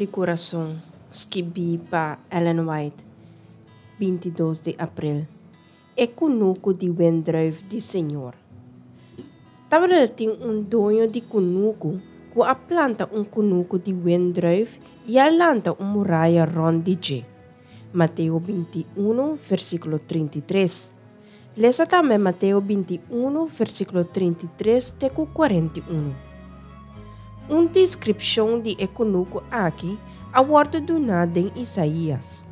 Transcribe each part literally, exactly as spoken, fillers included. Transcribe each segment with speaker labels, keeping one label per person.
Speaker 1: di Kurason, skibí pa Ellen White, binti dos di aprel. E kunuku di wendrùif di Señor. Tabatin un doño di kunuku ku a planta un kunuku di wendrùif i a lanta un muraya rònt di dje. Mateo binti un, versíkulo trinta i tres. Lesa tambe Mateo binti un, versíkulo trinta i tres te ku kuarenta i un. Un deskripshon di e kunuku aki a wòrdu duná den Isaías.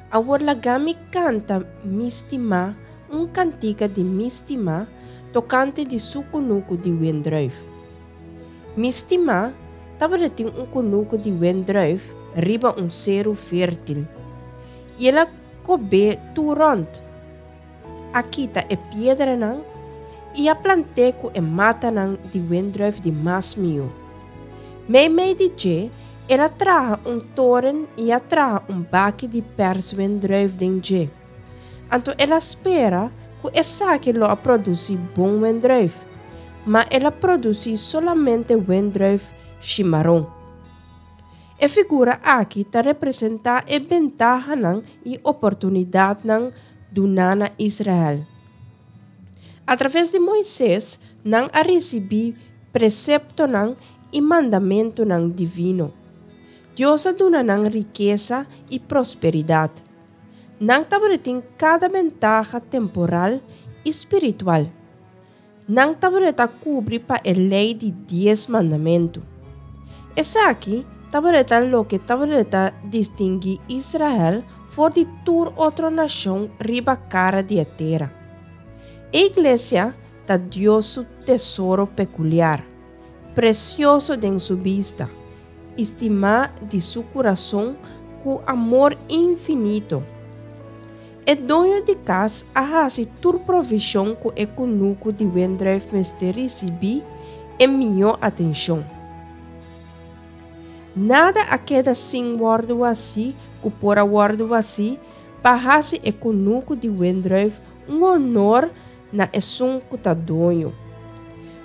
Speaker 1: Awor laga mi kanta mi stimá un kantika di mi stimá tokante di su kunuku di wendrùif. Mi stimá tabatin un kunuku di wendrùif riba un seru fértil. I el a kob'é tur rònt. A kita e piedranan i a plant'é ku e matanan di wendrùif di mas mihó. Meimei di dje, el a traha un toren i a traha un baki di pèrs wendrùif den dje. Anto el a spera ku esaki lo a produsí bon wendrùif, ma el a produsí solamente wendrùif shimaron. E figura aki ta representá e bentahanan i oportunidatnan duná na Israel. A traves di Moises, nan a risibí preseptonan i mandamentunan divino. Dios a duna nan rikesa i prosperidat. Nan tabatin kada bentaha temporal i spiritual. Nan tabata kubrí pa e lei di dies mandamentu. Esaki tabata loke tabata distinguí Israel for di tur otro nashon riba kara di e tera. E iglesia ta Dios su tesoro pekuliar, presioso den su bista, estimá di su kurason ku amor infinito. E doño di kas a hasi tur provishon ku e kunuku di wendrùif mester risibí e mihó atenshon. Nada a keda sin wòrdu hasí ku por a wòrdu hasí pa hasi e kunuku di wendrùif un honor na esun ku ta doño.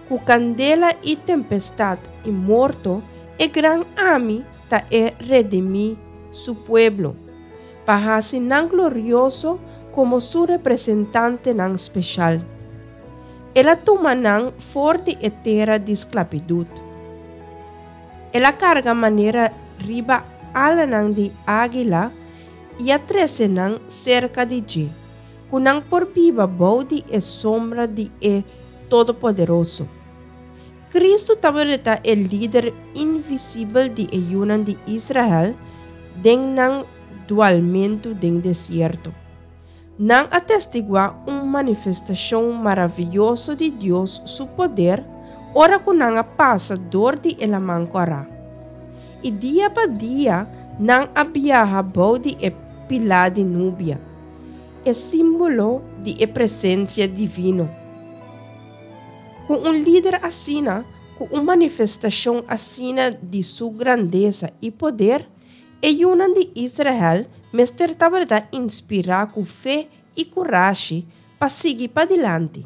Speaker 1: Ku kandela i tempestat i morto, e gran Ami ta e redimí su pueblo, pa hasi nan glorioso komo su representantenan spesial. El a tuma nan for di e tera di sklabitut. El a karga manera riba alanan di águila i a trese nan serka di dje, ku nan por biba bou di e sombra di e Todopoderoso. Kristu tabata e lider invisibel di e yunan di Israel den nan dualmentu den desierto. Nan a testiguá un manifestashon maravioso di Dios su poder ora ku nan a pasa dor di e Laman Kòrá. I dia pa dia nan a biaha bou di e pilá di nubia, e símbolo di e presensia divino. Ku un lider asina, ku un manifestashon asina di su grandesa i poder, e yunan di Israel mester tabata inspirá ku fe i kurashi pa sigui padilanti.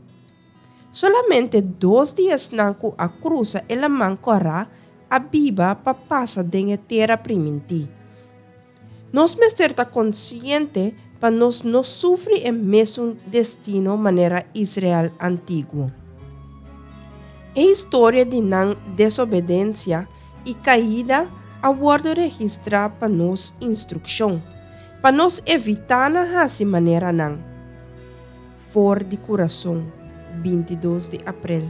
Speaker 1: Solamente dos di esnan ku a krusa e Laman Kòrá a biba pa pasa den e tera primintí. Nos mester ta konsiente pa nos no sufri e mesun destino manera Israel antiguo. E historia di nan desobedensia i kaida a wòrdu registrá pa nos instrukshon, pa nos evitá na hasi manera nan. For di Kurason, binti dos di aprel.